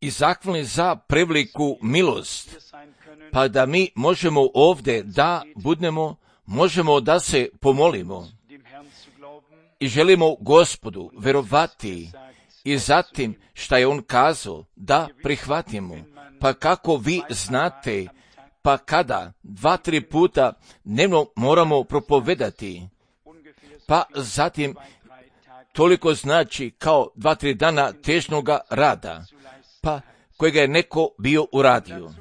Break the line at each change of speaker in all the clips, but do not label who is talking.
i zahvalni za preveliku milost, pa da mi možemo ovdje da budemo, možemo da se pomolimo i želimo Gospodu verovati i zatim šta je on kazao da prihvatimo. Pa kako vi znate, pa kada 2-3 puta dnevno moramo propovedati, pa zatim toliko znači kao 2-3 dana težnoga rada, pa kojega je neko bio uradio.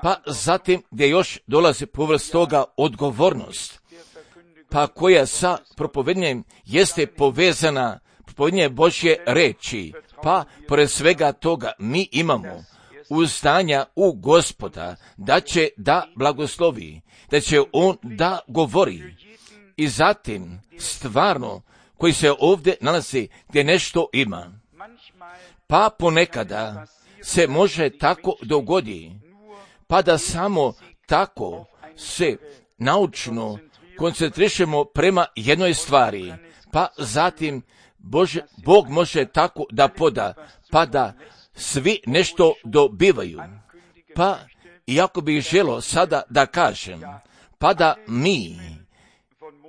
Pa zatim gdje još dolazi povrst toga odgovornost, pa koja sa propovednjem jeste povezana propovednje Božje reči, pa pored svega toga mi imamo uzdanja u Gospoda da će da blagoslovi, da će on da govori. I zatim stvarno koji se ovdje nalazi gdje nešto ima, pa ponekada se može tako dogodi, pa da samo tako se naučno koncentrišemo prema jednoj stvari, pa zatim Bog može tako da poda, pa da svi nešto dobivaju. Pa iako bih želio sada da kažem, pa da mi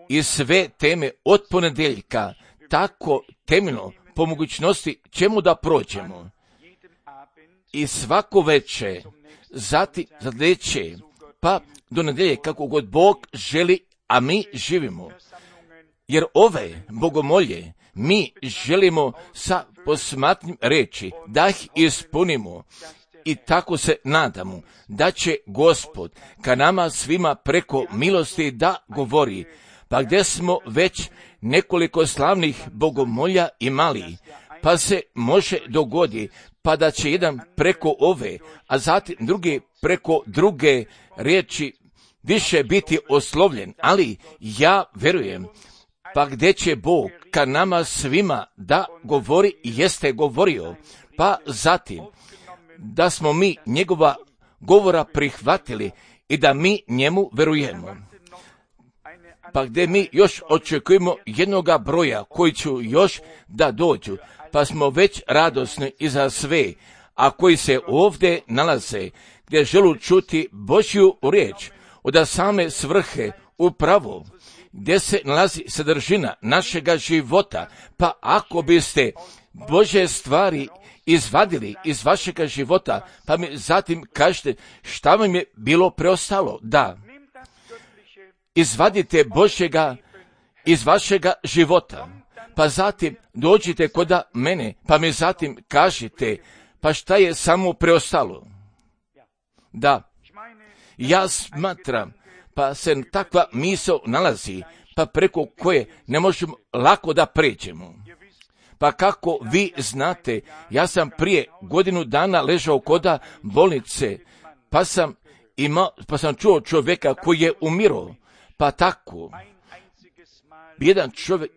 i sve teme od ponedjeljka tako temeljno po mogućnosti čemu da prođemo i svako večer zatim zadleće, pa do nedjelje kako god Bog želi, a mi živimo. Jer ove bogomolje mi želimo sa posmatnim reći da ih ispunimo i tako se nadamo da će Gospod ka nama svima preko milosti da govori. Pa gdje smo već nekoliko slavnih bogomolja imali, pa se može dogodi, pa da će jedan preko ove, a zatim drugi preko druge riječi više biti oslovljen, ali ja verujem, pa gdje će Bog ka nama svima da govori i jeste govorio, pa zatim da smo mi njegova govora prihvatili i da mi njemu verujemo. Pa gdje mi još očekujemo jednoga broja koji će još da dođu, pa smo već radosni i za sve, a koji se ovdje nalaze, gdje želu čuti Božju riječ od same svrhe upravo, gdje se nalazi sadržina našega života, pa ako biste Božje stvari izvadili iz vašega života, pa mi zatim kažete šta vam je bilo preostalo. Da, izvadite Božjega iz vašega života, pa zatim dođite kod mene, pa mi zatim kažite, pa šta je samo preostalo. Da, ja smatram, pa se takva misao nalazi, pa preko koje ne možemo lako da pređemo. Pa kako vi znate, ja sam prije godinu dana ležao koda bolnice, pa sam čuo čovjeka koji je umirao, pa tako. Jedan čovjek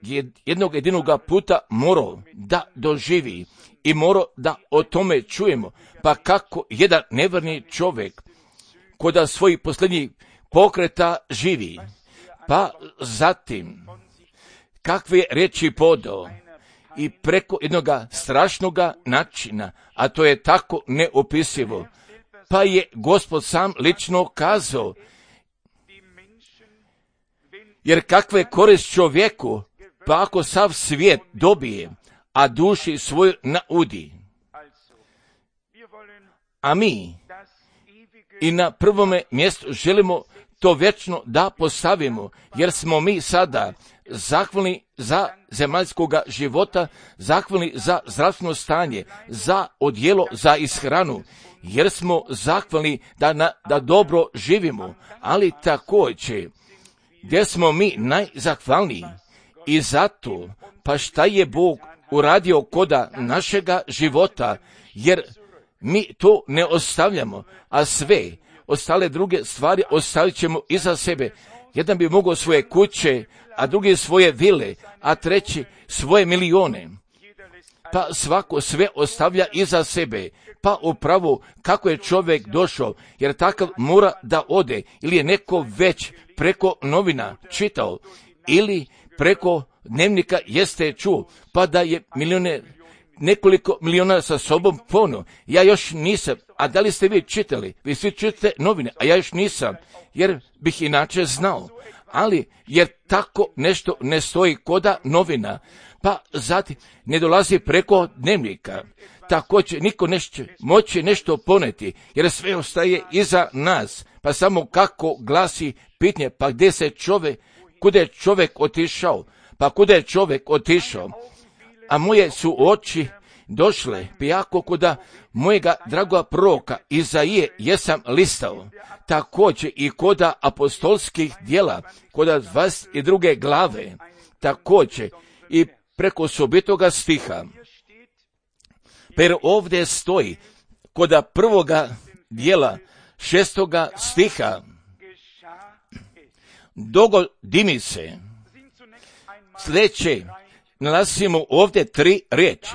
jednog jedinoga puta morao da doživi i morao da o tome čujemo, pa kako jedan neverni čovjek koda svojih posljednjih pokreta živi, pa zatim kakve riječi podao i preko jednoga strašnoga načina, a to je tako neopisivo, pa je Gospod sam lično kazao, jer kakve korist čovjeku, pa ako sav svijet dobije, a duši svoju naudi. A mi i na prvome mjestu želimo to vječno da postavimo, jer smo mi sada zahvalni za zemaljskoga života, zahvalni za zdravstveno stanje, za odjelo, za ishranu, jer smo zahvalni da dobro živimo, ali također gdje smo mi najzahvalniji i zato, pa šta je Bog uradio koda našega života, jer mi to ne ostavljamo, a sve ostale druge stvari ostavit ćemo iza sebe. Jedan bi mogao svoje kuće, a drugi svoje vile, a treći svoje milione. Pa svako sve ostavlja iza sebe. Pa upravo kako je čovjek došao, jer takav mora da ode, ili je neko već preko novina čitao, ili preko dnevnika jeste čuo, pa da je milioner nekoliko miliona sa sobom pono. Ja još nisam, a da li ste vi čitali? Vi svi čitate novine, a ja još nisam, jer bih inače znao. Ali, jer tako nešto ne stoji koda novina, pa zatim ne dolazi preko dnevnika. Također niko neće moći nešto poneti, jer sve ostaje iza nas. Pa samo kako glasi pitanje, pa gdje se čovjek, kuda je čovjek otišao? Pa kuda je čovjek otišao? A moje su oči došle, pijako kuda mojega dragoga proroka Izaije jesam listao. Također i koda apostolskih djela, koda 22. glave, također i preko sobitoga stiha. Per ovdje stoji koda prvoga djela 6. stiha, dogodi mi se. Sljedeće, nalazimo ovdje 3 riječi.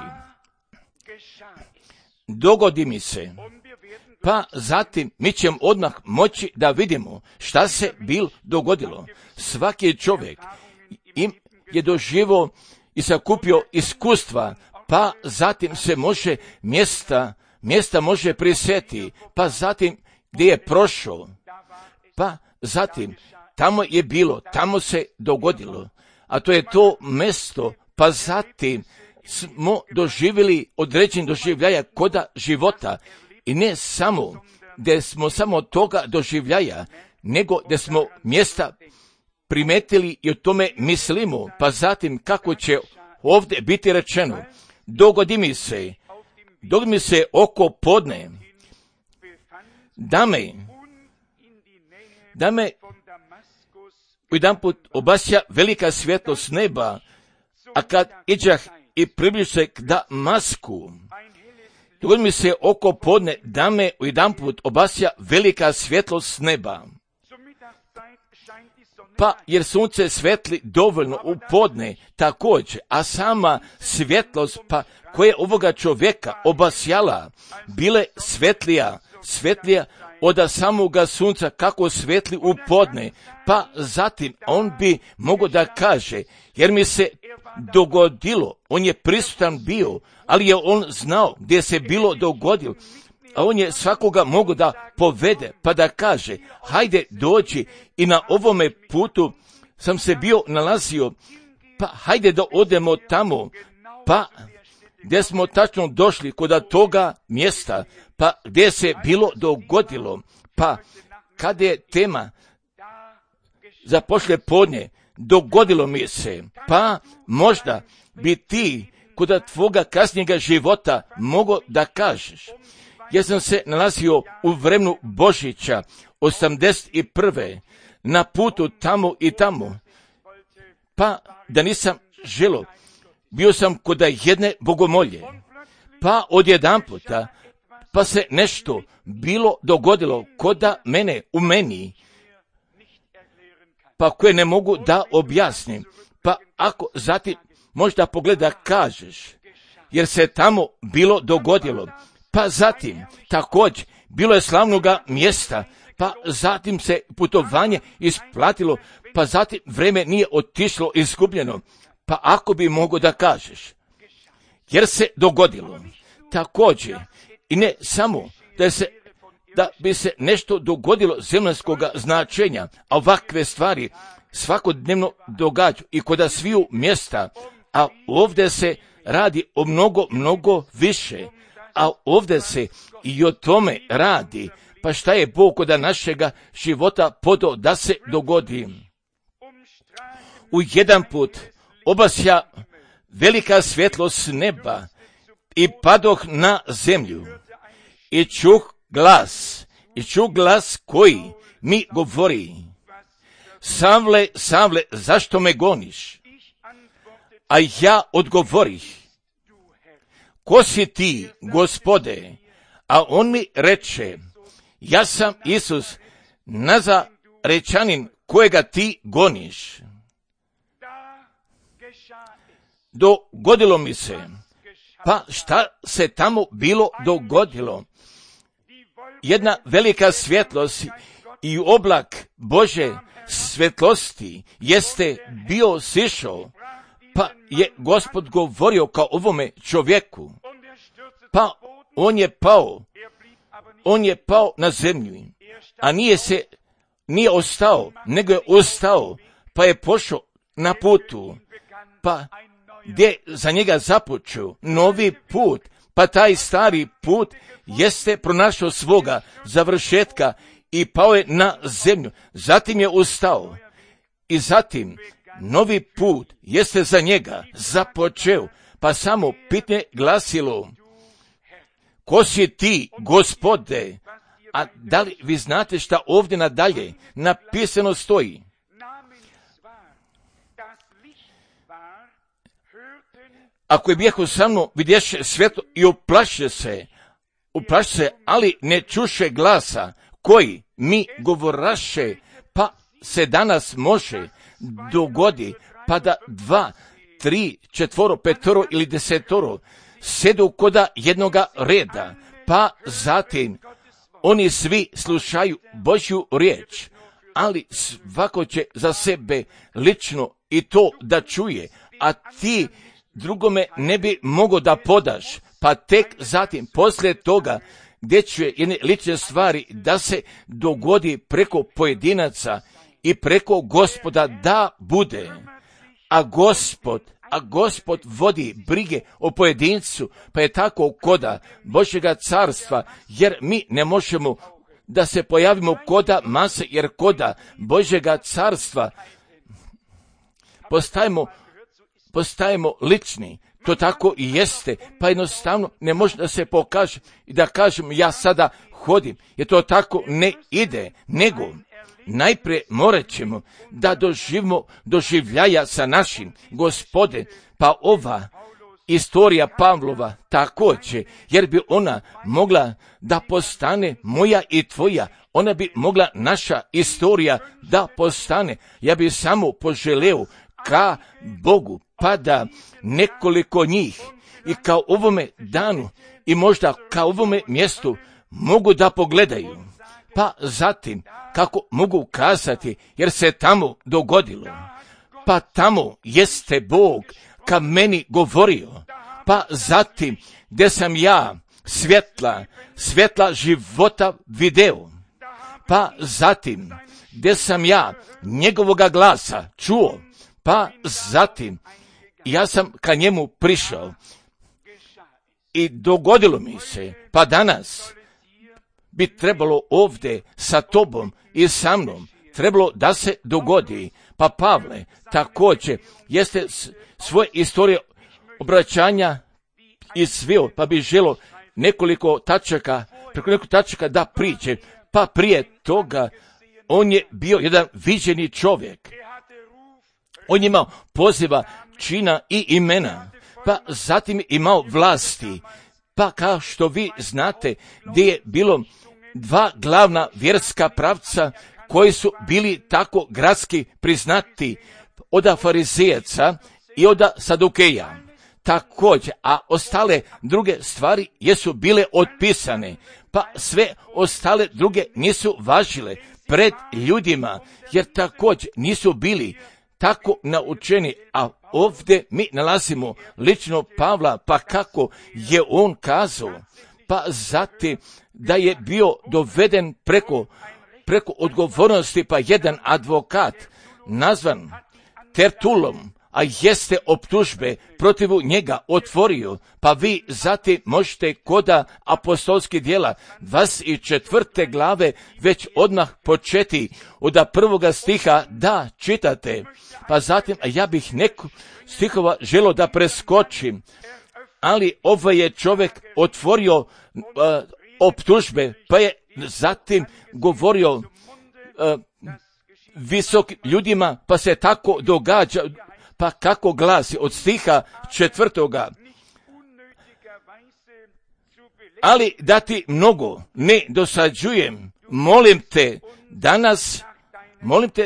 Dogodi mi se. Pa zatim mi ćemo odmah moći da vidimo šta se dogodilo. Svaki čovjek im je doživio i sakupio iskustva, pa zatim se može mjesta može prisjetiti, pa zatim gdje je prošao, pa zatim tamo je bilo, tamo se dogodilo, a to je to mjesto, pa zatim smo doživjeli određen doživljaja koda života i ne samo gdje smo samo toga doživljaja, nego gdje smo mjesta primetili i o tome mislimo, pa zatim kako će ovdje biti rečeno, dogodi mi se oko podne, da me jedanput obasja velika svjetlost neba, a kad iđah i približio se k Damasku, dogodi mi se oko podne, da me jedanput obasja velika svjetlost neba. Pa jer sunce svetli dovoljno u podne također, a sama svjetlost pa koja ovoga čovjeka obasjala, bile svetlija od samoga sunca kako svetli u podne, pa zatim on bi mogao da kaže, jer mi se dogodilo, on je prisutan bio, ali je on znao gdje se bilo dogodilo, a on je svakoga mogao da povede, pa da kaže, hajde dođi i na ovome putu sam se bio nalazio, pa hajde da odemo tamo, pa gdje smo tačno došli kod toga mjesta, pa gdje se bilo dogodilo, pa kada je tema za poslije podne, dogodilo mi se, pa možda bi ti kod tvoga kasnijega života mogao da kažeš, ja sam se nalazio u vremenu Božića 81. na putu tamo i tamo, pa da nisam želio, bio sam kod jedne bogomolje, pa odjedanputa, pa se nešto bilo dogodilo koda mene, u meni, pa koje ne mogu da objasnim, pa ako zatim možda pogleda kažeš, jer se tamo bilo dogodilo, pa zatim također bilo je slavnoga mjesta, pa zatim se putovanje isplatilo, pa zatim vreme nije otišlo izgubljeno, pa ako bi mogo da kažeš, jer se dogodilo, također, i ne samo da bi se nešto dogodilo zemaljskog značenja, a ovakve stvari svakodnevno događaju i kod sviju mjesta, a ovdje se radi o mnogo više, a ovdje se i o tome radi, pa šta je Bog kod našega života podao da se dogodi. U jedan put obasja velika svjetlost neba i padoh na zemlju i čuh glas koji mi govori, Savle, Savle, zašto me goniš? A ja odgovorih, ko si ti, Gospode? A on mi reče, ja sam Isus, Nazarečanin, kojega ti goniš. Dogodilo mi se, pa šta se tamo bilo dogodilo? Jedna velika svjetlost i oblak Bože svjetlosti jeste bio sišao, Pa je Gospod govorio kao ovome čovjeku, pa on je pao na zemlju, a nije ostao, nego je ostao, pa je pošao na putu, pa gdje za njega započeo novi put, pa taj stari put jeste pronašao svoga završetka i pao je na zemlju, zatim je ustao i zatim novi put jeste za njega započeo, pa samo pitanje glasilo, ko si ti, Gospode? A da li vi znate šta ovdje nadalje napisano stoji? Ako je bijeho sa mnom, vidješe svjetlo i uplaše se, ali ne čuše glasa koji mi govoraše, pa se danas može dogodi, pa da 2, 3, 4, 5 ili 10 sedu koda jednoga reda, pa zatim oni svi slušaju Božju riječ, ali svako će za sebe lično i to da čuje, a ti drugome ne bi mogo da podaš, pa tek zatim poslije toga gdje će jedne lične stvari da se dogodi preko pojedinaca i preko Gospoda da bude, a Gospod vodi brige o pojedincu, pa je tako koda Božjega carstva, jer mi ne možemo da se pojavimo koda mase, jer koda Božjega carstva postajemo lični. To tako i jeste, pa jednostavno ne može da se pokaže i da kažem ja sada hodim, jer to tako ne ide, nego najprije morat ćemo da doživimo doživljaja sa našim Gospodem, pa ova istorija Pavlova također, jer bi ona mogla da postane moja i tvoja, ona bi mogla naša istorija da postane. Ja bi samo poželeo ka Bogu, pa da nekoliko njih i kao ovome danu i možda kao ovome mjestu mogu da pogledaju, pa zatim kako mogu kazati, jer se tamo dogodilo, pa tamo jeste Bog ka meni govorio, pa zatim gdje sam ja svjetla života video, pa zatim gdje sam ja njegovoga glasa čuo, pa zatim ja sam ka njemu prišao i dogodilo mi se, pa danas bi trebalo ovdje sa tobom i sa mnom, trebalo da se dogodi. Pa Pavle također jeste svoje istorije obraćanja izveo, pa bi želo preko nekoliko tačaka da priče. Pa prije toga on je bio jedan viđeni čovjek. On je imao poziva, čina i imena, pa zatim je imao vlasti. Pa kao što vi znate, gdje je bilo 2 glavna vjerska pravca koji su bili tako gradski priznati, od farizejaca i od sadukeja. Također, a ostale druge stvari jesu bile otpisane, pa sve ostale druge nisu važile pred ljudima, jer također nisu bili tako naučeni, a ovdje mi nalazimo lično Pavla, pa kako je on kazao, pa zatim da je bio doveden preko odgovornosti, pa jedan advokat nazvan Tertulom, a jeste optužbe protiv njega otvorio, pa vi zatim možete koda apostolskih djela 24. glave već odmah početi od 1. stiha da čitate, pa zatim ja bih neko stihova želo da preskočim, ali ovaj je čovjek otvorio optužbe, pa je zatim govorio visokim ljudima, pa se tako događa, pa kako glasi od stiha 4. Ali da ti mnogo ne dosađujem, molim te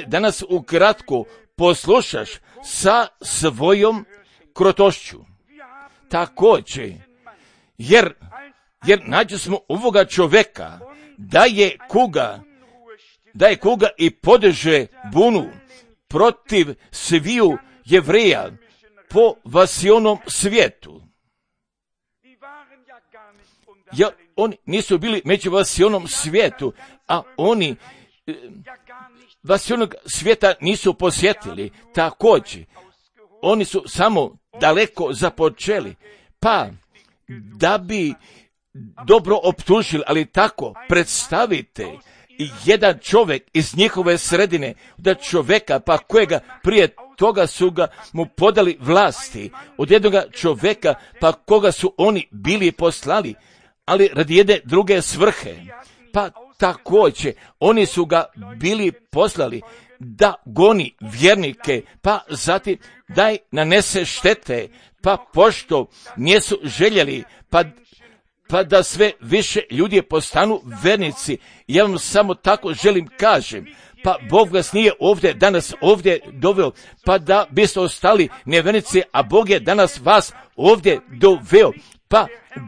danas ukratko poslušaš sa svojom krotošću. Također, jer nađu smo ovoga čovjeka da je kuga i podiže bunu protiv sviju Jevreja, po vasionom svijetu. Ja, oni nisu bili među vasionom svijetu, a oni vasionog svijeta nisu posjetili. Također, oni su samo daleko započeli, pa da bi dobro optužili, ali tako predstavite jedan čovjek iz njihove sredine, da čovjeka pa kojega prije toga su ga mu podali vlasti, od jednoga čovjeka pa koga su oni bili poslali, ali radi jedne druge svrhe. Pa također oni su ga bili poslali da goni vjernike, pa zatim da nanese štete, pa pošto nisu željeli, pa da sve više ljudi postanu vernici. Ja vam samo tako želim kažem, pa Bog vas nije ovdje danas ovdje doveo, pa da biste ostali nevernici, a Bog je danas vas ovdje doveo, pa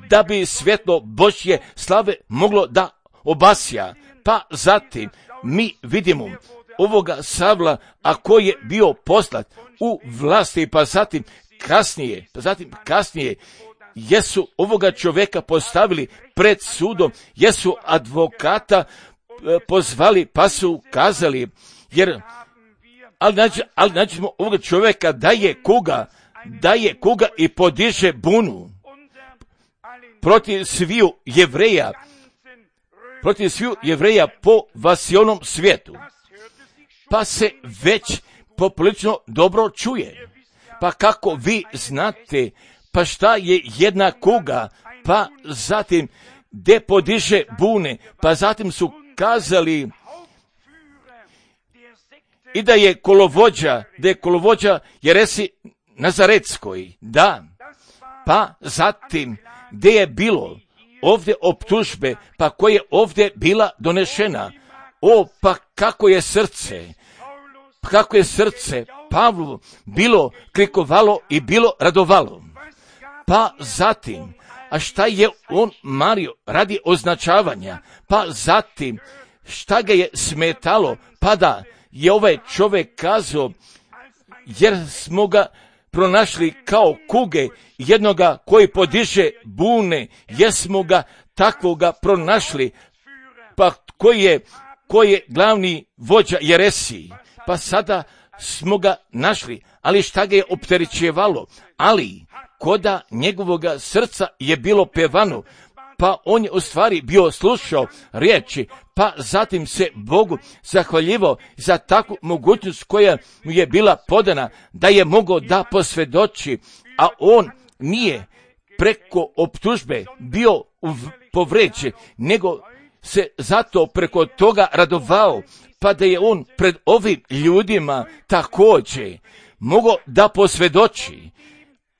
da bi svjetlo Božje slave moglo da obasja. Pa zatim mi vidimo ovoga Savla, a koji je bio poslat u vlasti, pa zatim kasnije jesu ovoga čovjeka postavili pred sudom, jesu advokata pozvali, pa su kazali, ali nađemo ovoga čovjeka da je kuga i podiže bunu protiv sviju Jevreja po vasionom svijetu. Pa se već poprilično dobro čuje. Pa kako vi znate, pa šta je jedna kuga, pa zatim gdje podiže bune, pa zatim su kazali i da je kolovođa Jeresi Nazaretskoj, da, pa zatim gdje je bilo ovdje optužbe, pa koje je ovdje bila donešena, pa kako je srce Pavlu bilo klikovalo i bilo radovalo. Pa zatim, a šta je on mario radi označavanja, pa zatim šta ga je smetalo, pa da je ovaj čovjek kazao, jer smo ga pronašli kao kuge, jednoga koji podiže bune, jesmo ga takvoga pronašli, pa koji je glavni vođa Jeresiji, pa sada smo ga našli, ali šta ga je opterećivalo, ali koda njegovoga srca je bilo pevano, pa on je u stvari bio slušao riječi, pa zatim se Bogu zahvaljivao za takvu mogućnost koja mu je bila podana, da je mogao da posvjedoči, a on nije preko optužbe bio povređen, nego se zato preko toga radovao, pa da je on pred ovim ljudima također mogao da posvjedoči.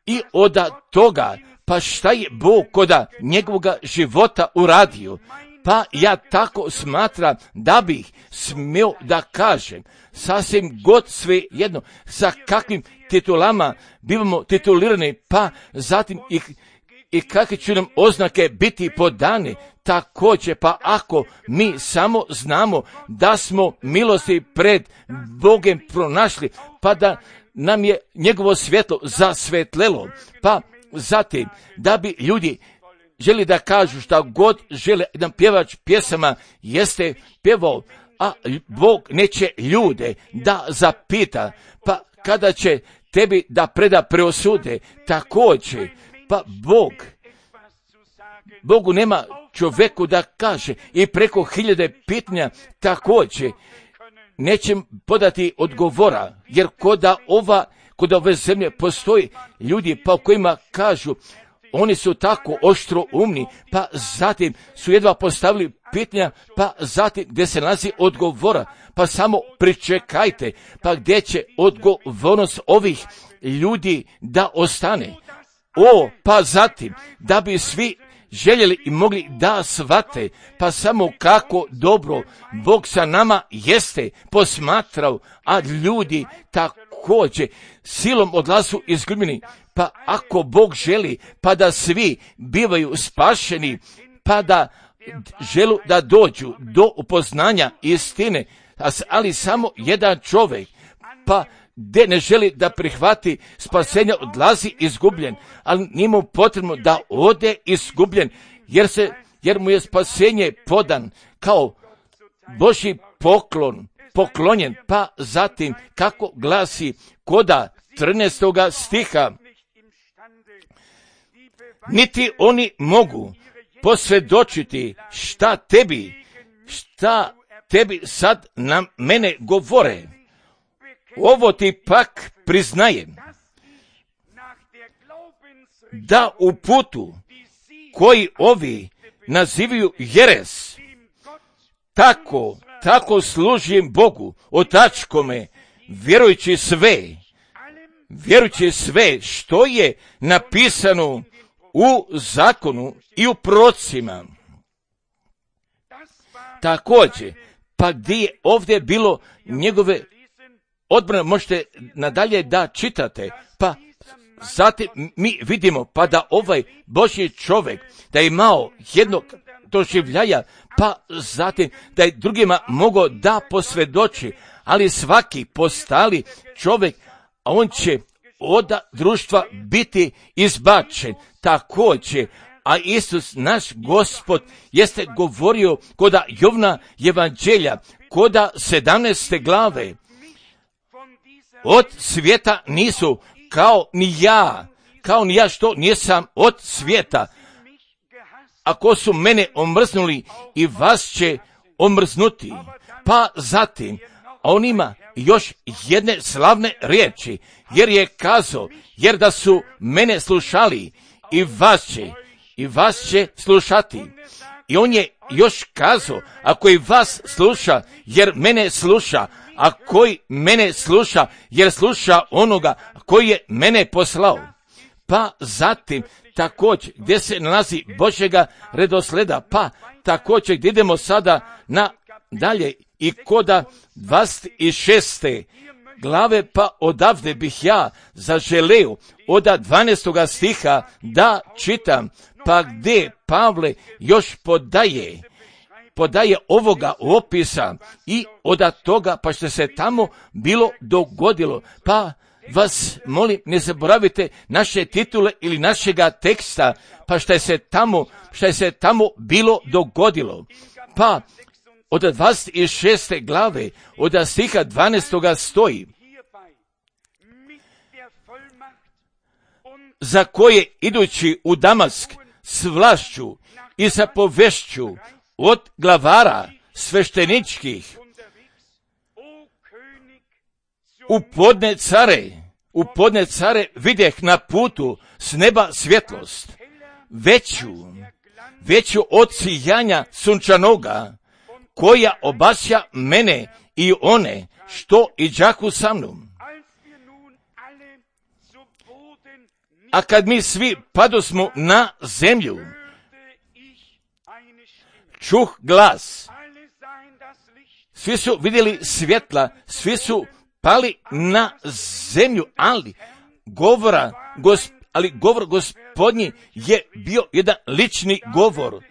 I od toga, pa šta je Bog koda njegovoga života uradio, pa ja tako smatram da bih smio da kažem, sasvim god sve jedno, sa kakvim titulama bivamo titulirani, pa zatim i kakve će nam oznake biti podane, također, pa ako mi samo znamo da smo milosti pred Bogem pronašli, pa da nam je njegovo svjetlo zasvetlelo, pa zatim da bi ljudi želi da kažu šta god žele, jedan pjevač pjesama jeste pjevao, a Bog neće ljude da zapita, pa kada će tebi da preda preosude, također, pa Bogu nema čovjeku da kaže i preko 1000 pitanja također neće podati odgovora, jer kod ove zemlje postoji ljudi pa u kojima kažu, oni su tako oštro umni, pa zatim su jedva postavili pitanja, pa zatim gdje se nalazi odgovora, pa samo pričekajte, pa gdje će odgovornost ovih ljudi da ostane. Pa zatim, da bi svi željeli i mogli da shvate, pa samo kako dobro Bog sa nama jeste posmatrao, a ljudi također silom odlazu izgubljeni, pa ako Bog želi, pa da svi bivaju spašeni, pa da želu da dođu do upoznanja istine, ali samo jedan čovjek, pa gdje ne želi da prihvati spasenje, odlazi izgubljen, ali nije mu potrebno da ode izgubljen, jer mu je spasenje podan kao Božji poklonjen. Pa zatim, kako glasi koda 13. stiha, niti oni mogu posvjedočiti šta tebi sad na mene govore. Ovo ti pak priznajem, da u putu koji ovi nazivaju jeres, tako služim Bogu, otačkome, vjerujući sve što je napisano u zakonu i u prorocima. Također, pa gdje je ovdje bilo njegove odbrane, možete nadalje da čitate, pa zatim mi vidimo pa da ovaj Božji čovjek da je imao jednog doživljaja, pa zatim da je drugima mogao da posvjedoči, ali svaki postali čovjek, a on će od društva biti izbačen. Također, a Isus naš Gospod jeste govorio koda Jovna evanđelja, koda 17. glave, od svijeta nisu kao ni ja što nisam od svijeta. Ako su mene omrznuli, i vas će omrznuti. Pa zatim, on ima još jedne slavne riječi, jer je kazao, jer da su mene slušali, i vas će slušati. I on je još kazao, ako i vas sluša, jer mene sluša, a koji mene sluša, jer sluša onoga koji je mene poslao. Pa zatim, također, gdje se nalazi Božjega redosleda, pa također, gdje idemo sada na dalje i koda 26. glave, pa odavde bih ja zaželeo od 12. stiha da čitam, pa gdje Pavle još podaje ovoga opisa i od toga pa što se tamo bilo dogodilo. Pa vas molim, ne zaboravite naše titule ili našega teksta, pa što je se tamo bilo dogodilo. Pa od 26. glave, od stiha 12. stoji, za koje idući u Damask s vlašću i sa povešću od glavara svešteničkih u podne care vidjeh na putu s neba svjetlost, veću od sijanja sunčanoga, koja obasja mene i one što iđaku sa mnom. A kad mi svi padosmo na zemlju, čuh glas, svi su vidjeli svjetla, svi su pali na zemlju, ali govor Gospodnji je bio jedan lični govor.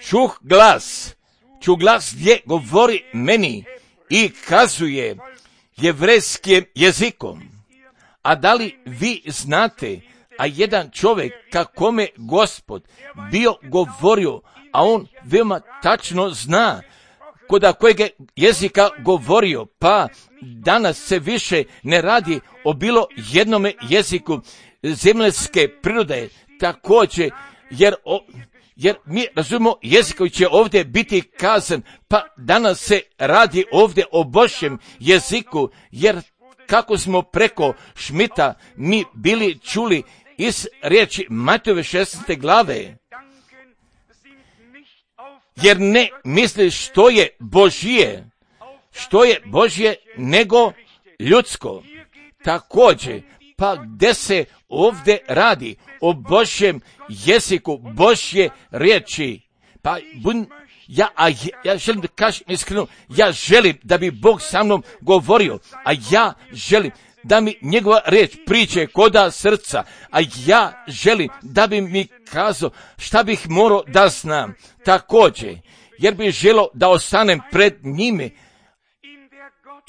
Čuh glas gdje govori meni i kazuje jevrejskim jezikom. A da li vi znate, a jedan čovjek kakome Gospod bio govorio, a on veoma tačno zna koda kojeg jezika govorio, pa danas se više ne radi o bilo jednome jeziku zemaljske prirode, također, jer mi razumemo jezik koji će ovdje biti kazan, pa danas se radi ovdje o Božjem jeziku, jer kako smo preko Šmita mi bili čuli iz riječi Matejove 16. glave, jer ne misli što je Božje nego ljudsko. Također, pa gdje se ovdje radi o Božjem jeziku, Božje riječi, pa ja želim da kažem iskreno, ja želim da bi Bog sa mnom govorio, a ja želim da mi njegova riječ priđe koda srca, a ja želim da bi mi kazao šta bih morao da znam. Također, jer bih želio da ostanem pred njime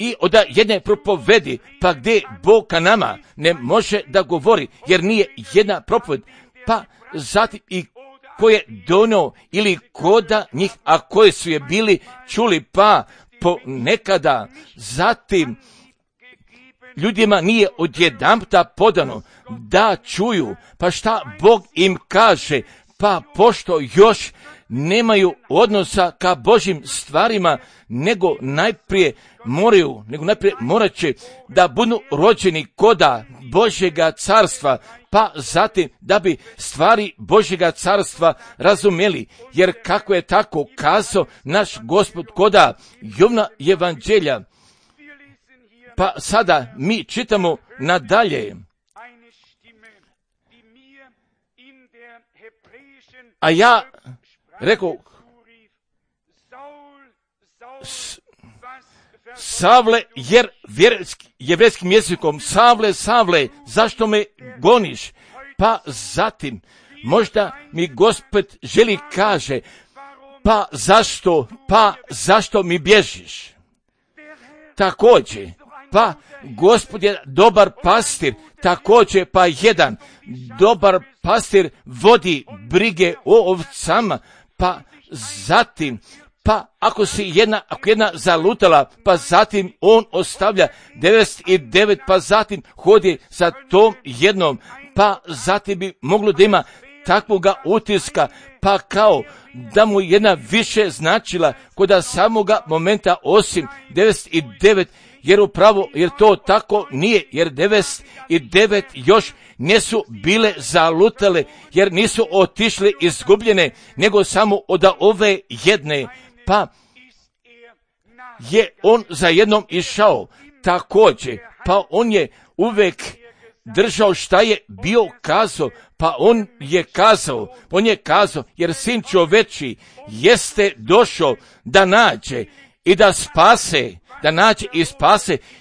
i od jedne propovedi, pa gdje Bog ka nama ne može da govori, jer nije jedna propoved, pa zatim i ko je donio ili koda njih, a koji su je bili čuli, pa ponekada zatim ljudima nije odjedanputa podano da čuju, pa šta Bog im kaže, pa pošto još nemaju odnosa ka Božjim stvarima, nego najprije morat će da budu rođeni koda Božjega carstva, pa zatim da bi stvari Božjega carstva razumjeli, jer kako je tako kazao naš Gospod koda Jovna evanđelja. Pa sada mi čitamo nadalje. A ja rekao, Savle, jer jevrejskim jezikom, Savle, zašto me goniš? Pa zatim, možda mi Gospod želi kaže, pa zašto mi bježiš? Također, pa Gospod je dobar pastir, također pa jedan dobar pastir vodi brige o ovcama, pa zatim, pa ako jedna zalutala, pa zatim on ostavlja 99, pa zatim hodi sa tom jednom, pa zatim bi moglo da ima takvoga utiska, pa kao da mu jedna više značila kod samoga momenta osim 99, jer to tako nije, jer 99 još nisu bile zalutale, jer nisu otišle izgubljene, nego samo od ove jedne, pa je on za jednom išao također, pa on je uvek držao šta je bio kazao, pa on je kazao, jer sin čoveči jeste došao da nađe i da spase,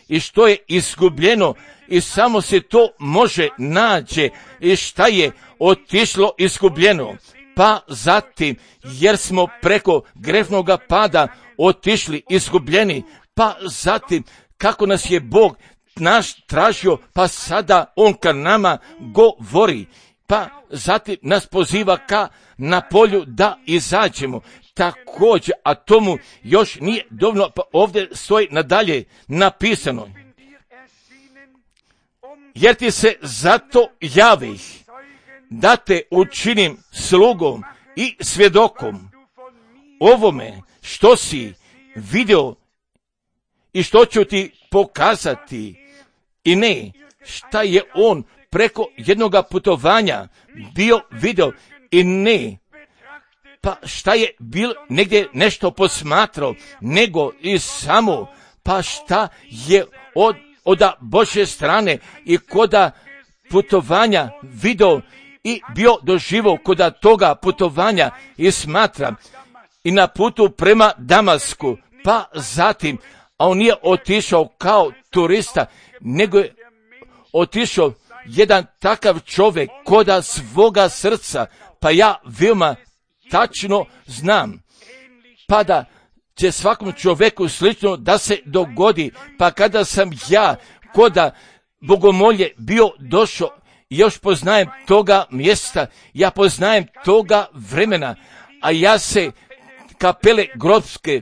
i što je izgubljeno, i samo se to može nađe, i šta je otišlo izgubljeno. Pa zatim, jer smo preko grehnoga pada otišli izgubljeni, pa zatim, kako nas je Bog naš tražio, pa sada on ka nama govori, pa zatim nas poziva ka na polju da izađemo. Također, a tomu još nije dovoljno, pa ovdje stoji nadalje napisano, jer ti se zato javih, da te učinim slugom i svjedokom ovome što si vidio i što ću ti pokazati, i ne šta je on preko jednoga putovanja bio vidio, i ne pa šta je bil negdje nešto posmatrao, nego i samo pa šta je od Božje strane i koda putovanja vidio i bio doživio koda toga putovanja i smatra i na putu prema Damasku, pa zatim, a on nije otišao kao turista, nego je otišao jedan takav čovjek koda svoga srca, pa ja veoma tačno znam, pa da će svakom čovjeku slično da se dogodi, pa kada sam ja koda bogomolje bio došao, još poznajem toga mjesta, ja poznajem toga vremena, a ja se kapele grobske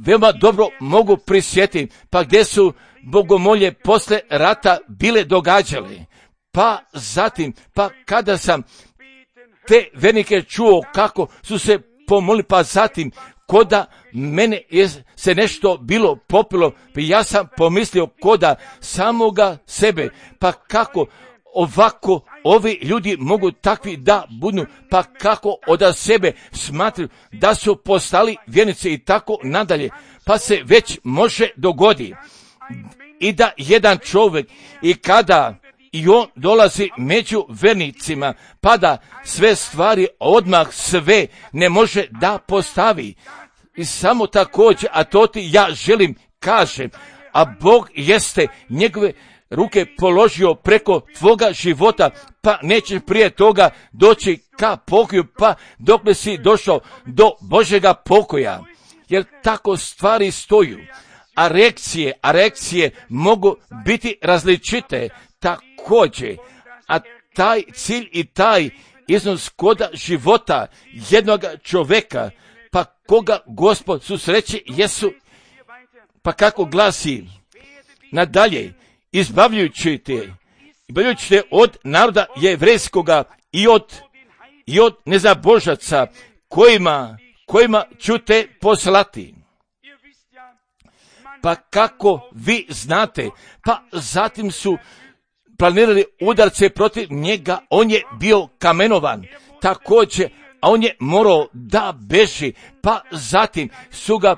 veoma dobro mogu prisjetiti, pa gdje su bogomolje posle rata bile događale, pa zatim, pa kada sam te vernike čuo kako su se pomolili, pa zatim koda mene je se nešto bilo popilo, pa ja sam pomislio koda samoga sebe, pa kako ovako ovi ljudi mogu takvi da budu, pa kako od sebe smatruju da su postali vjernici i tako nadalje, pa se već može dogodi i da jedan čovjek i kada i on dolazi među vernicima, pa da sve stvari odmah sve ne može da postavi. I samo također, a to ti ja želim kažem, a Bog jeste njegove ruke položio preko tvoga života, pa nećeš prije toga doći ka pokoju, pa dok ne si došao do Božjega pokoja. Jer tako stvari stoju. a reakcije mogu biti različite također, a taj cilj i taj iznos koda života jednog čovjeka, pa koga Gospod susreće jesu, pa kako glasi nadalje, izbavljujući te od naroda jevrejskoga i od nezabožaca kojima ću te poslati. Pa kako vi znate, pa zatim su planirali udarce protiv njega, on je bio kamenovan, također, a on je morao da beži, pa zatim su ga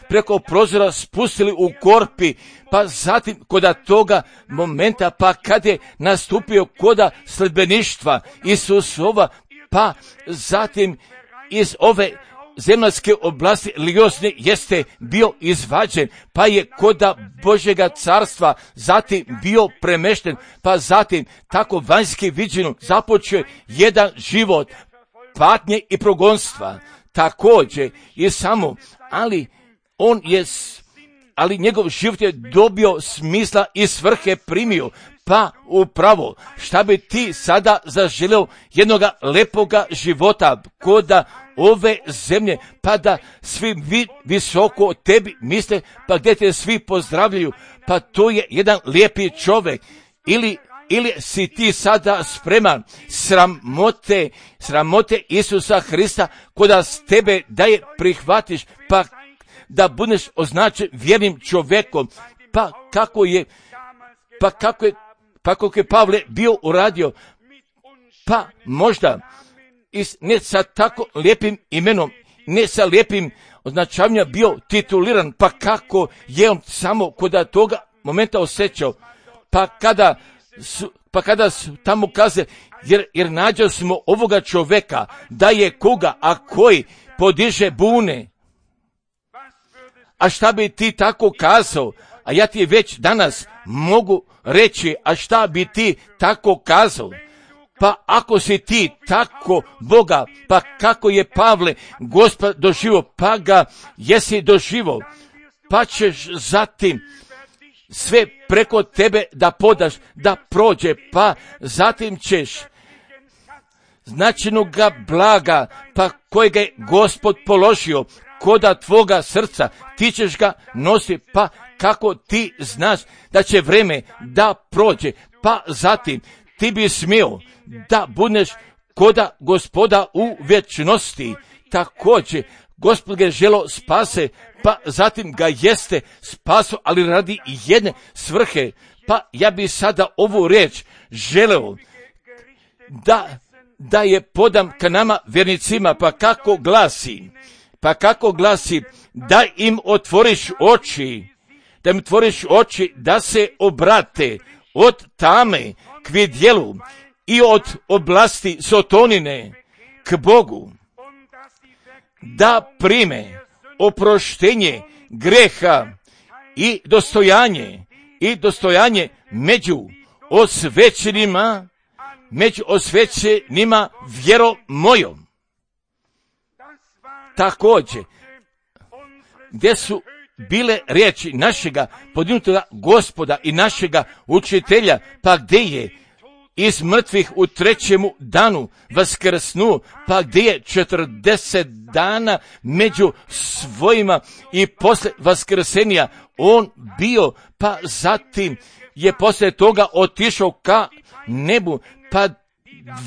preko prozora spustili u korpi, pa zatim koda toga momenta, pa kad je nastupio koda sledbeništva Isusova, pa zatim iz ove zemaljske oblasti Liosne jeste bio izvađen, pa je koda Božjega carstva zatim bio premešten, pa zatim tako vanjski viđeno započeo jedan život patnje i progonstva, također i samo, ali njegov život je dobio smisla i svrhe primio, pa upravo šta bi ti sada zaželio jednoga lepoga života koda ove zemlje, pa da svi visoko o tebi misle, pa gdje te svi pozdravljaju, pa to je jedan lijepi čovjek, ili si ti sada spreman sramote Isusa Hrista koda s tebe da je prihvatiš, pa da budeš označen vjernim čovjekom, pa kako je Pavle bio uradio, pa možda ne sa tako lijepim imenom, ne sa lijepim označavanjem bio tituliran, pa kako je on samo koda toga momenta osjećao, pa kada su tamo kaze, jer nađo smo ovoga čovjeka, da je koga, a koji podiže bune. A šta bi ti tako kazao? A ja ti već danas mogu reći, a šta bi ti tako kazao? Pa ako si ti tako Boga, pa kako je Pavle Gospod doživio, pa ga jesi doživio, pa ćeš zatim sve preko tebe da podaš, da prođe, pa zatim ćeš značajnoga blaga, pa kojega je Gospod položio koda tvoga srca, ti ćeš ga nositi, pa kako ti znaš da će vreme da prođe, pa zatim ti bi smio da budeš koda Gospoda u vječnosti. Također, Gospod ga je želo spase, pa zatim ga jeste spaso, ali radi jedne svrhe. Pa ja bi sada ovu riječ želeo da je podam ka nama vjernicima, pa kako glasi, da im otvoriš oči, da se obrate od tame k vidjelu i od oblasti sotonine k Bogu, da prime oproštenje greha i dostojanje među osvećenima vjerom mojom. Također, gdje su bile riječi našega podignutoga Gospoda i našega učitelja, pa gdje je iz mrtvih u 3. danu vaskrsnuo, pa gdje je 40 dana među svojima i posle vaskrsenja on bio, pa zatim je posle toga otišao ka nebu, pa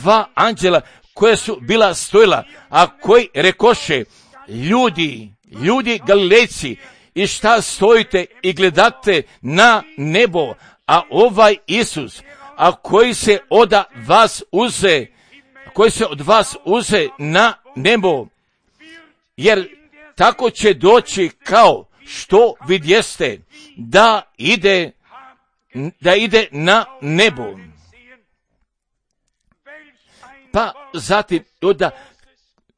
2 anđela koje su bila stojila, a koji rekoše, ljudi Galilejci, i šta stojite i gledate na nebo, a ovaj Isus, a koji se od vas uze na nebo, jer tako će doći kao što vidjeste da ide na nebo. Pa zatim doda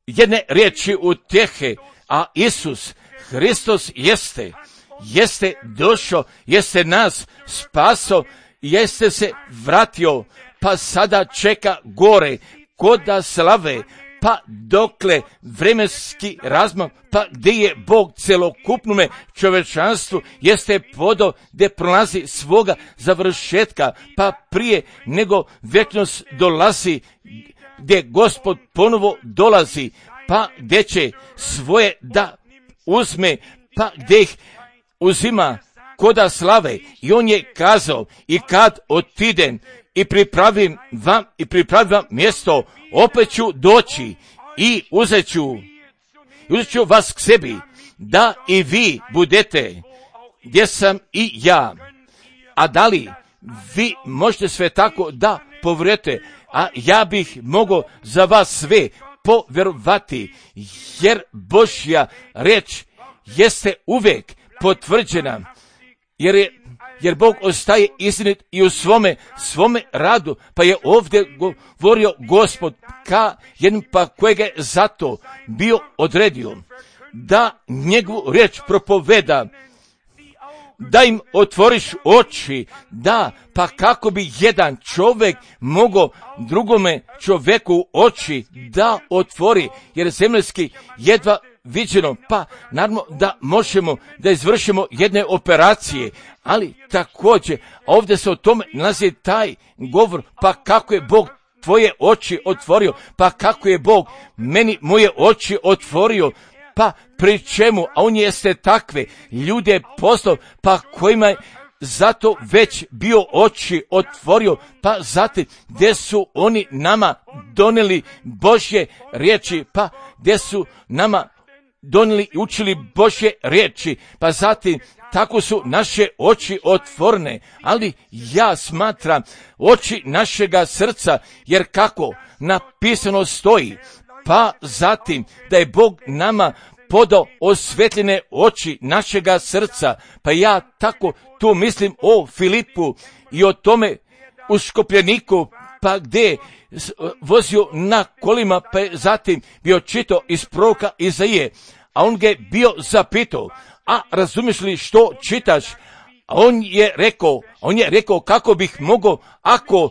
jedne riječi utjehe, a Isus Hristos jeste došao, jeste nas spaso, jeste se vratio, pa sada čeka gore koda slave, pa dokle vremenski razmak, pa gdje je Bog celokupnome čovečanstvu jeste podao gdje prolazi svoga završetka, pa prije nego vječnost dolazi, gdje Gospod ponovo dolazi, pa gdje će svoje da uzme, pa gdje ih uzima koda slave. I on je kazao, i kad otidem i pripravim vam mjesto, opet ću doći i uzet ću vas k sebi, da i vi budete gdje sam i ja. A da li vi možete sve tako da povjerujete? A ja bih mogao za vas sve povjerovati, jer Božja riječ jeste uvijek potvrđena, jer Bog ostaje istinit i u svome radu, pa je ovdje govorio Gospod ka jednom, pa kojega je zato bio odredio da njegovu riječ propoveda, da im otvoriš oči, da, pa kako bi jedan čovjek mogao drugome čovjeku oči da otvori, jer zemaljski jedva viđeno, pa naravno da možemo da izvršimo jedne operacije, ali također ovdje se o tome nalazi taj govor, pa kako je Bog tvoje oči otvorio, pa kako je Bog meni moje oči otvorio, pa pri čemu, a on jeste takve ljude poslao, pa kojima je zato već bio oči otvorio, pa zatim gdje su oni nama donijeli Božje riječi, pa gdje su nama donijeli i učili Božje riječi, pa zatim tako su naše oči otvorene, ali ja smatram oči našega srca, jer kako napisano stoji, pa zatim da je Bog nama podao osvetljene oči našega srca, pa ja tako tu mislim o Filipu i o tome uškopljeniku, pa gdje vozio na kolima, pa je zatim bio čitao iz proroka Izaije, a on ga je bio zapitao, a razumiješ li što čitaš? A on je rekao kako bih mogao ako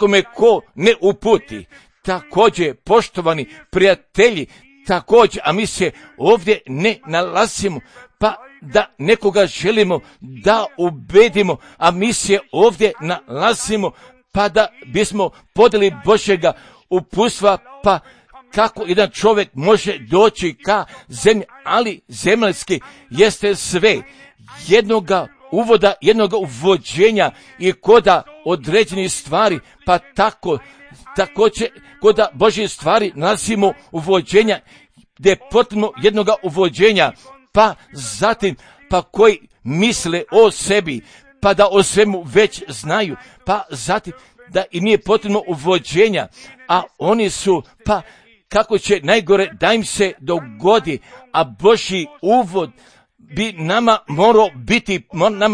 me ko ne uputi. Također, poštovani prijatelji, također, a mi se ovdje ne nalazimo, pa da nekoga želimo da ubedimo, a mi se ovdje nalazimo, pa da bismo podeli Božjega uputstva, pa kako jedan čovjek može doći ka zemlji, ali zemaljski jeste sve jednoga uvoda, jednoga uvođenja i koda određenih stvari, pa također koda Božje stvari nalazimo uvođenja, gdje je potrebno jednoga uvođenja, pa zatim, pa koji misle o sebi, pa da o svemu već znaju, pa zatim da im nije potrebno uvođenja, a oni su, pa kako će najgore da im se dogodi, a Božji uvod bi nama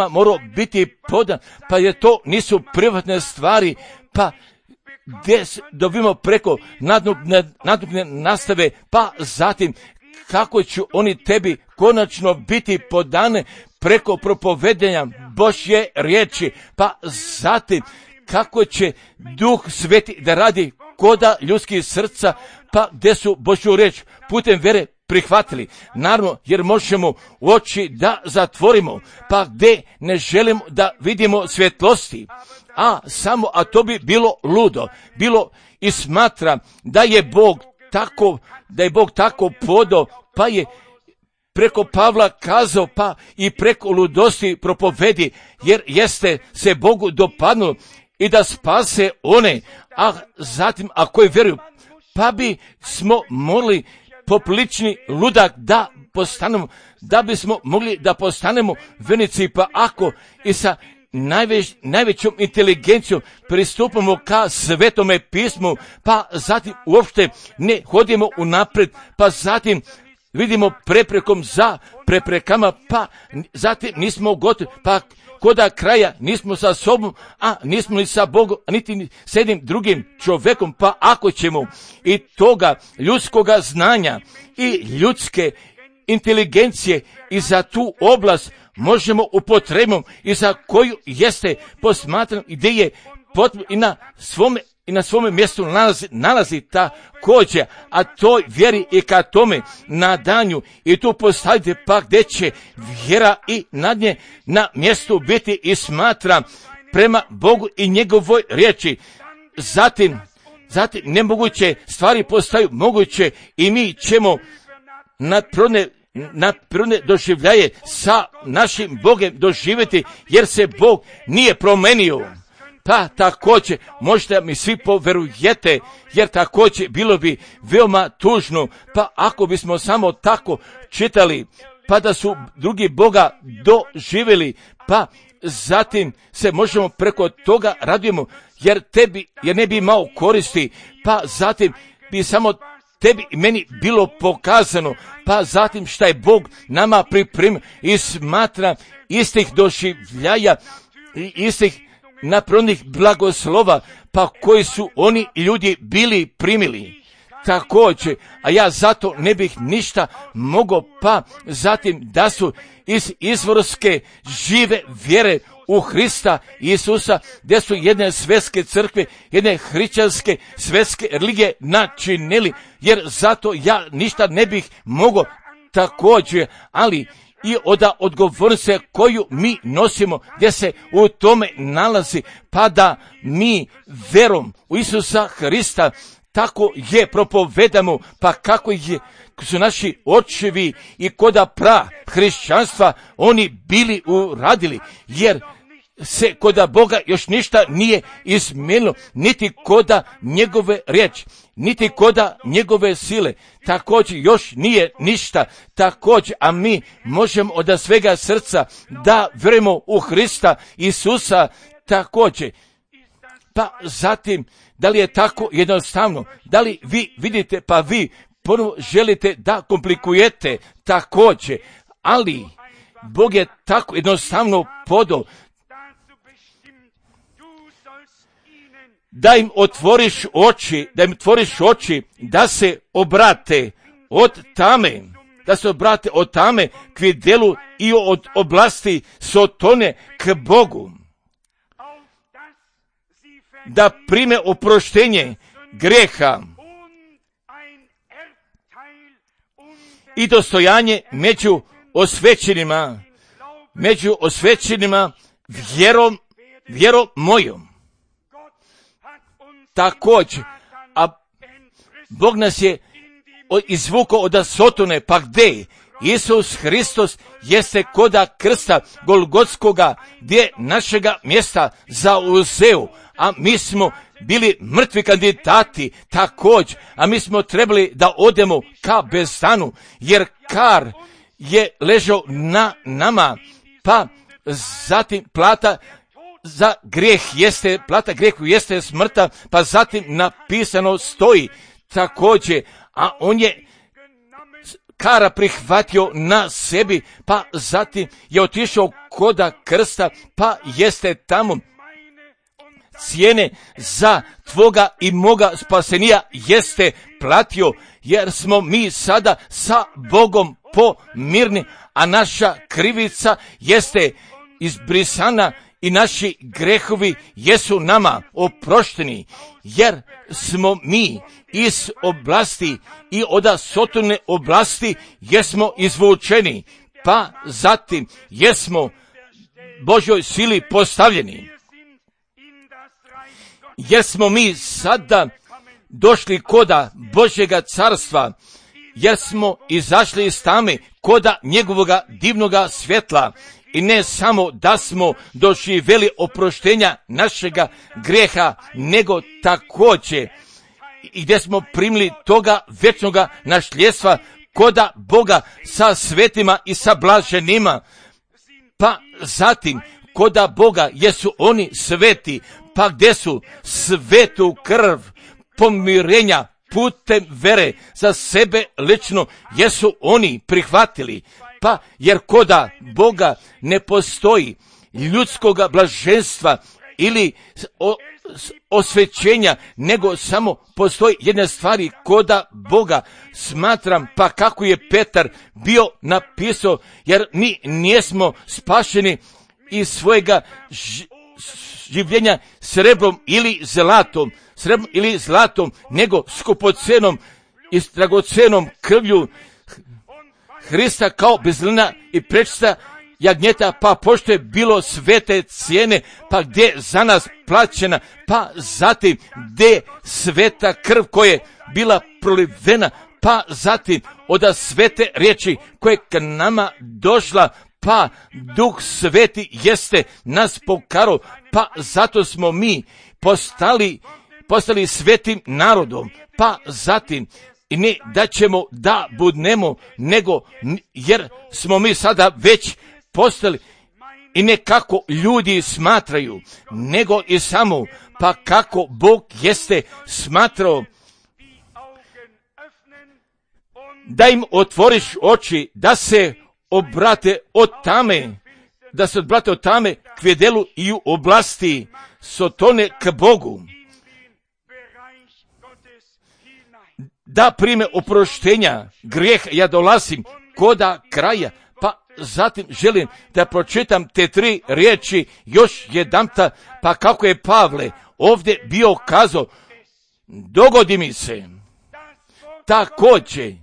morao biti podan, pa jer to nisu privatne stvari, pa gdje dobimo preko nadobne nastave, pa zatim kako će oni tebi konačno biti podane preko propovedenja Božje riječi, pa zatim kako će Duh Sveti da radi koda ljudskih srca, pa gdje su Božju riječ putem vere prihvatili. Naravno, jer možemo oči da zatvorimo, pa gdje ne želimo da vidimo svjetlosti, a to bi bilo ludo. Bilo i smatram da je Bog tako podao, pa je preko Pavla kazao, pa i preko ludosti propovedi, jer jeste se Bogu dopadnulo i da spase one, a zatim ako vjeruju, pa bi smo mogli poprilični ludak da postanemo, da bismo mogli da postanemo vjernici, pa ako i sa najvećom inteligencijom pristupamo ka Svetome pismu, pa zatim uopšte ne hodimo unapred, pa zatim vidimo preprekom za preprekama, pa zatim nismo gotovi, pa koda kraja nismo sa sobom, a nismo ni sa Bogom, niti s jednim drugim čovjekom, pa ako ćemo i toga ljudskoga znanja i ljudske inteligencije i za tu oblast možemo upotrebom i za koju jeste posmatran, gdje je potrebno i na svome i na svome mjestu nalazi također, a toj vjeri i ka tome nadanju i tu postavite pa gdje će vjera i nadnje na mjestu biti i smatra prema Bogu i njegovoj riječi. Zatim nemoguće stvari postaju moguće i mi ćemo nadprirodne doživljaje sa našim Bogom doživjeti, jer se Bog nije promenio. Pa također možda mi svi poverujete, jer također bilo bi veoma tužno, pa ako bismo samo tako čitali, pa da su drugi Boga doživjeli, pa zatim se možemo preko toga radujemo, jer ne bi imao koristi, pa zatim bi samo tebi i meni bilo pokazano, pa zatim šta je Bog nama pripremio i smatra istih doživljaja i istih naprodnih blagoslova, pa koji su oni ljudi bili primili. Također, a ja zato ne bih ništa mogao, pa zatim da su iz izvorske žive vjere u Hrista Isusa, gdje su jedne svjetske crkve, jedne hrišćanske svjetske religije načinili, jer zato ja ništa ne bih mogao također, ali i od odgovornosti koju mi nosimo, gdje se u tome nalazi, pa da mi vjerom u Isusa Hrista tako je propovedamo, pa kako su naši očevi i koda hrišćanstva oni bili uradili, jer se koda Boga još ništa nije izmijenilo, niti koda njegove riječi, niti koda njegove sile, također još nije ništa, također, a mi možemo od svega srca da vjerujemo u Hrista Isusa također. Pa zatim, da li je tako jednostavno? Da li vi vidite, pa vi ponovo želite da komplikujete također, ali Bog je tako jednostavno podao da im otvoriš oči, da se obrate od tame k vidjelu i od oblasti Sotone k Bogu, da prime oproštenje grijeha i dostojanje među osvećenima vjerom mojom. Također, a Bog nas je izvukao od Sotone, pa gdje? Isus Hristos jeste koda krsta Golgotskoga, gdje našega mjesta zauzeo, a mi smo bili mrtvi kandidati također, a mi smo trebali da odemo ka bezstanu, jer kar je ležao na nama, pa zatim plata grijehu jeste smrta, pa zatim napisano stoji također, a on je kara prihvatio na sebi, pa zatim je otišao koda krsta, pa jeste tamo cijene za tvoga i moga spasenija jeste platio, jer smo mi sada sa Bogom pomirni, a naša krivica jeste izbrisana i naši grehovi jesu nama oprošteni, jer smo mi iz oblasti i od Sotone oblasti jesmo izvučeni, pa zatim jesmo Božjoj sili postavljeni, jer smo mi sada došli koda Božjega carstva, jer smo izašli iz tame koda njegovoga divnoga svjetla, i ne samo da smo doživjeli oproštenja našega grijeha, nego također i gdje smo primili toga vječnoga nasljedstva koda Boga sa svetima i sa blaženima, pa zatim koda Boga jesu oni sveti, pa gdje su svetu krv pomirenja putem vere za sebe lično jesu oni prihvatili, pa jer koda Boga ne postoji ljudskoga blaženstva ili osvećenja, nego samo postoji jedna stvari koda Boga. Smatram, pa kako je Petar bio napisao, jer mi nismo spašeni iz svojega življenja srebrom ili zlatom, nego skupocenom i dragocenom krvlju Hrista kao bezlina i prečista jagnjeta, pa pošto je bilo svete cijene, pa gdje je za nas plaćena, pa zatim gdje je sveta krv koja je bila prolivena, pa zatim od svete riječi koja je k nama došla, pa Duh Sveti jeste nas pokaro, pa zato smo mi postali svetim narodom, pa zatim i ne da ćemo da budnemo, nego jer smo mi sada već postali i ne kako ljudi smatraju, nego i samo pa kako Bog jeste smatrao, da im otvoriš oči, da se odbrate od tame k vjedelu i u oblasti sotone k Bogu, da prime oproštenja grijeha. Ja dolazim koda kraja, pa zatim želim da pročitam te 3 riječi još jedanputa, pa kako je Pavle ovdje bio kazao, dogodi mi se također,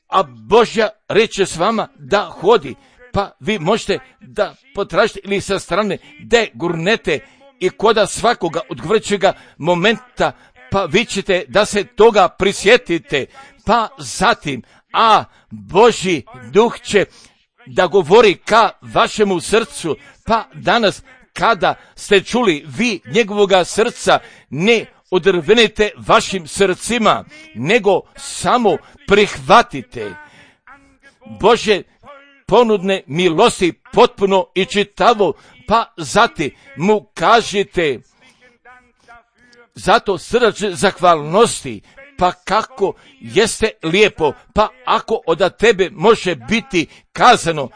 a Božja reče s vama da hodi, pa vi možete da potražite ili sa strane da gurnete i koda svakoga odgovarajućega momenta, pa vi ćete da se toga prisjetite, pa zatim, a Božji Duh će da govori ka vašemu srcu, pa danas kada ste čuli vi njegovoga srca, ne odrvenite vašim srcima, nego samo prihvatite Božje ponudne milosti potpuno i čitavo, pa zatim mu kažite zato srdačne zahvalnosti, pa kako jeste lijepo, pa ako od tebe može biti kazano,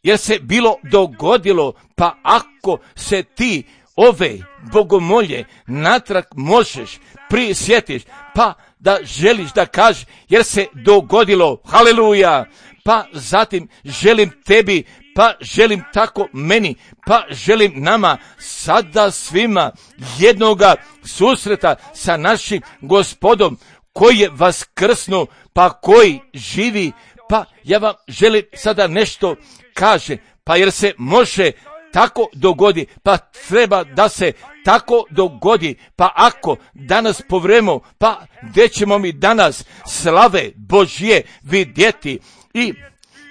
jer se bilo dogodilo, pa ako se ti ove bogomolje natrag možeš prisjetiš, pa da želiš da kažeš, jer se dogodilo, haleluja, pa zatim želim tebi, pa želim tako meni, pa želim nama sada svima jednoga susreta sa našim Gospodom koji je vaskrsnuo, pa koji živi, pa ja vam želim sada nešto kaže, pa jer se može tako dogodi, pa treba da se tako dogodi, pa ako danas povremo, pa gdje ćemo mi danas slave Božje vidjeti i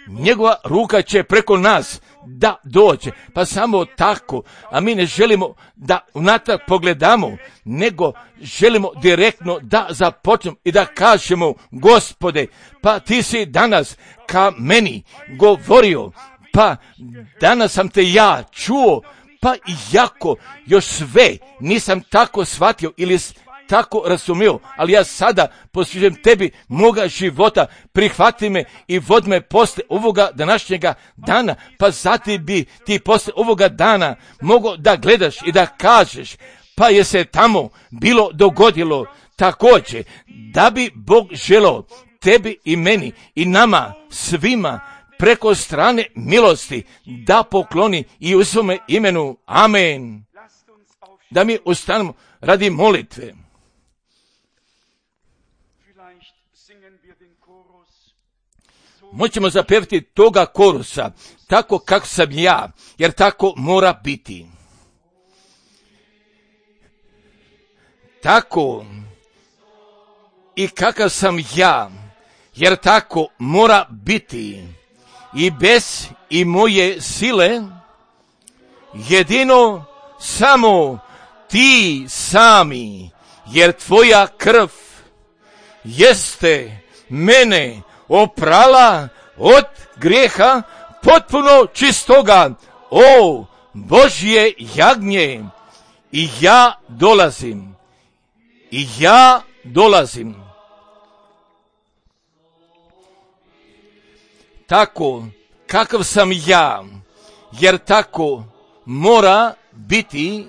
njegova ruka će preko nas da dođe, pa samo tako, a mi ne želimo da unatrag pogledamo, nego želimo direktno da započnemo i da kažemo, Gospode, pa ti si danas ka meni govorio, pa danas sam te ja čuo, pa iako još sve nisam tako shvatio ili tako razumio, ali ja sada posvećujem tebi moga života, prihvati me i vodi me posle ovoga današnjega dana, pa zatim bi ti posle ovoga dana mogao da gledaš i da kažeš, pa je se tamo bilo dogodilo također, da bi Bog želeo tebi i meni i nama svima preko strane milosti da pokloni i u svome imenu. Amen. Da mi ustanemo radi molitve. Moćemo zapevati toga korusa, tako kako sam ja, jer tako mora biti. Tako i kakav sam ja, jer tako mora biti. I bez i moje sile, jedino samo ti sami, jer tvoja krv jeste mene oprala od grijeha potpuno čistoga, o Božje jagnje, i ja dolazim. Tako kakav sam ja, jer tako mora biti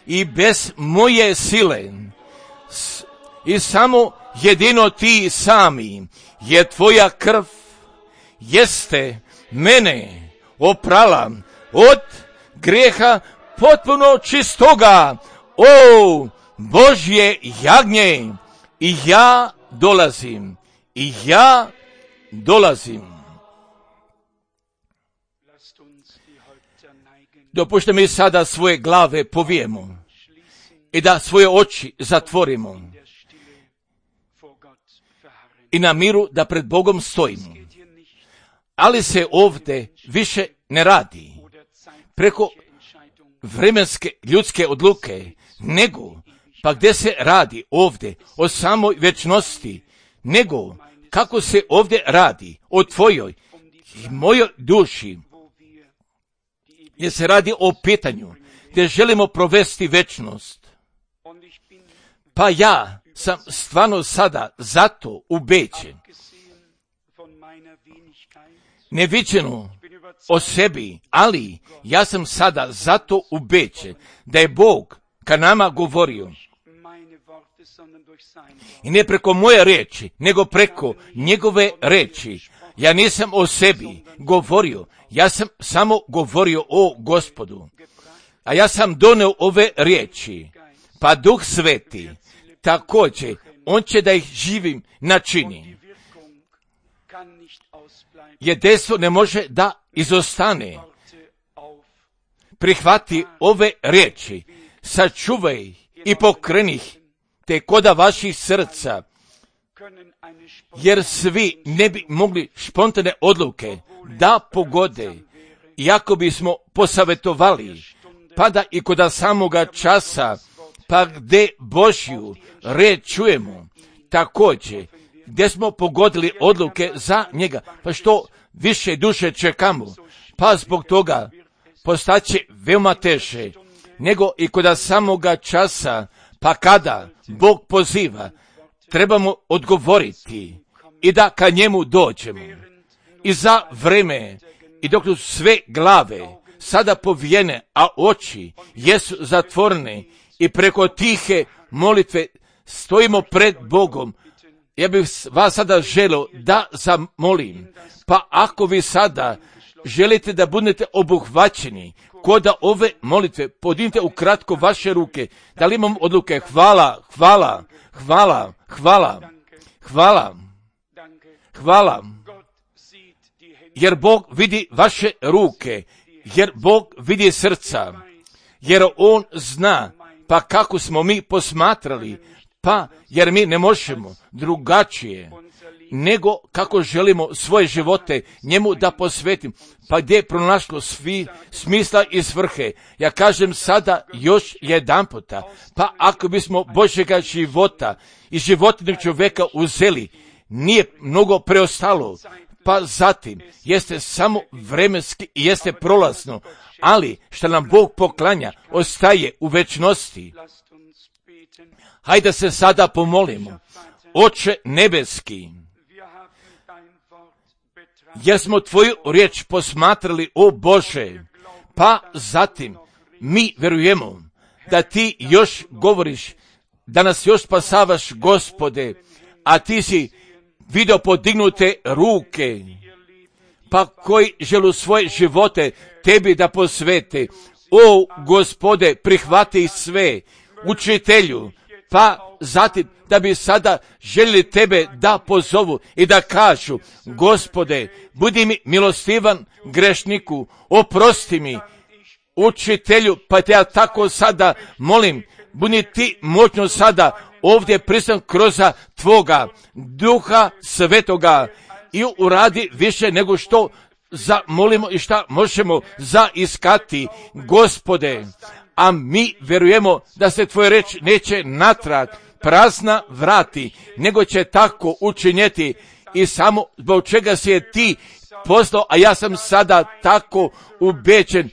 i bez moje sile, i samo jedino ti sami, jer tvoja krv jeste mene oprala od grijeha potpuno čistoga. O Božje jagnje, i ja dolazim. Dopušte mi sada svoje glave povijemo i da svoje oči zatvorimo i na miru da pred Bogom stojimo. Ali se ovdje više ne radi preko vremenske ljudske odluke, nego pa gdje se radi ovdje o samoj večnosti, nego kako se ovdje radi o tvojoj i mojoj duši, gdje se radi o pitanju gdje želimo provesti večnost. Pa ja sam stvarno sada zato ubeđen, neviđeno o sebi, ali ja sam sada zato ubeđen da je Bog ka nama govorio. I ne preko moje riječi, nego preko njegove riječi. Ja nisam o sebi govorio, ja sam samo govorio o Gospodu. A ja sam doneo ove riječi, pa Duh Sveti također, on će da ih živim načini. Jer dejstvo ne može da izostane. Prihvati ove riječi, sačuvaj ih i pokreni ih te koda vaših srca, jer svi ne bi mogli spontane odluke da pogode, iako bismo posavjetovali, pa da i koda samoga časa, pa gdje Božju riječ čujemo, također, gdje smo pogodili odluke za njega, pa što više duše čekamo, pa zbog toga postaće veoma teže, nego i koda samoga časa, pa kada Bog poziva, trebamo odgovoriti i da ka njemu dođemo. I za vreme, i dok su sve glave sada povijene, a oči jesu zatvorene i preko tihe molitve stojimo pred Bogom, ja bih vas sada želio da zamolim, pa ako vi sada želite da budete obuhvaćeni koda ove molitve, podignite ukratko vaše ruke. Da li imam odluke? Hvala. Jer Bog vidi vaše ruke, jer Bog vidi srca, jer On zna pa kako smo mi posmatrali, pa jer mi ne možemo drugačije nego kako želimo svoje živote njemu da posvetim, pa gdje je pronašlo svi smisla i svrhe. Ja kažem sada još jedan puta, pa ako bismo Božjega života i životinjeg čovjeka uzeli, nije mnogo preostalo, pa zatim jeste samo vremenski i jeste prolazno, ali što nam Bog poklanja ostaje u večnosti. Hajde se sada pomolimo. Oče nebeski, jer smo tvoju riječ posmatrali, o Bože, pa zatim mi vjerujemo da ti još govoriš, da nas još spasavaš, Gospode, a ti si vidio podignute ruke, pa koji želu svoje živote tebi da posvete. O Gospode, prihvati sve, učitelju, pa zatim da bi sada željeli tebe da pozovu i da kažu, Gospode, budi mi milostivan grešniku, oprosti mi, učitelju, pa te ja tako sada molim, budi ti moćno sada ovdje pristan kroz tvoga Duha Svetoga i uradi više nego što zamolimo i šta možemo zaiskati, Gospode. A mi vjerujemo da se tvoja reč neće natrag prazna vrati, nego će tako učinjeti i samo zbog čega si je ti poslao, a ja sam sada tako ubeđen,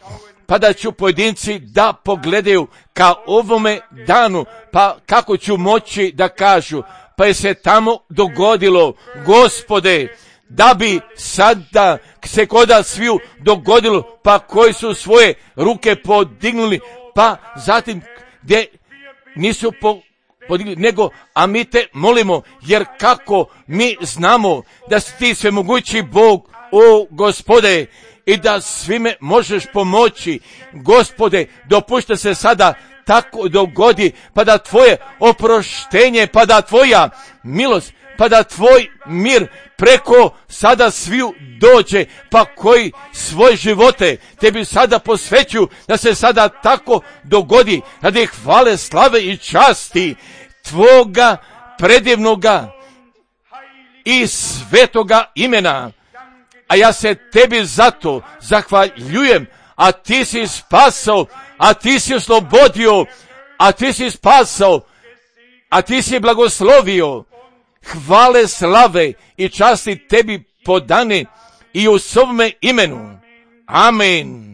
pa da ću pojedinci da pogledaju ka ovome danu, pa kako ću moći da kažu, pa je se tamo dogodilo, Gospode, da bi sada se koda sviju dogodilo, pa koji su svoje ruke podignuli, pa zatim gdje nisu podigli, nego, a mi te molimo, jer kako mi znamo da si ti svemogući Bog, o Gospode, i da svime možeš pomoći. Gospode, dopušta se sada tako dogodi, pa da tvoje oproštenje, pa da tvoja milost, pa da tvoj mir preko sada sviju dođe, pa koji svoje živote tebi sada posvećuju, da se sada tako dogodi, radi hvale, slave i časti tvoga predivnoga i svetoga imena. A ja se tebi zato zahvaljujem, a ti si spasao, a ti si oslobodio, a ti si spasao, a ti si blagoslovio. Hvale, slave i časti tebi podane i u svome imenu. Amen.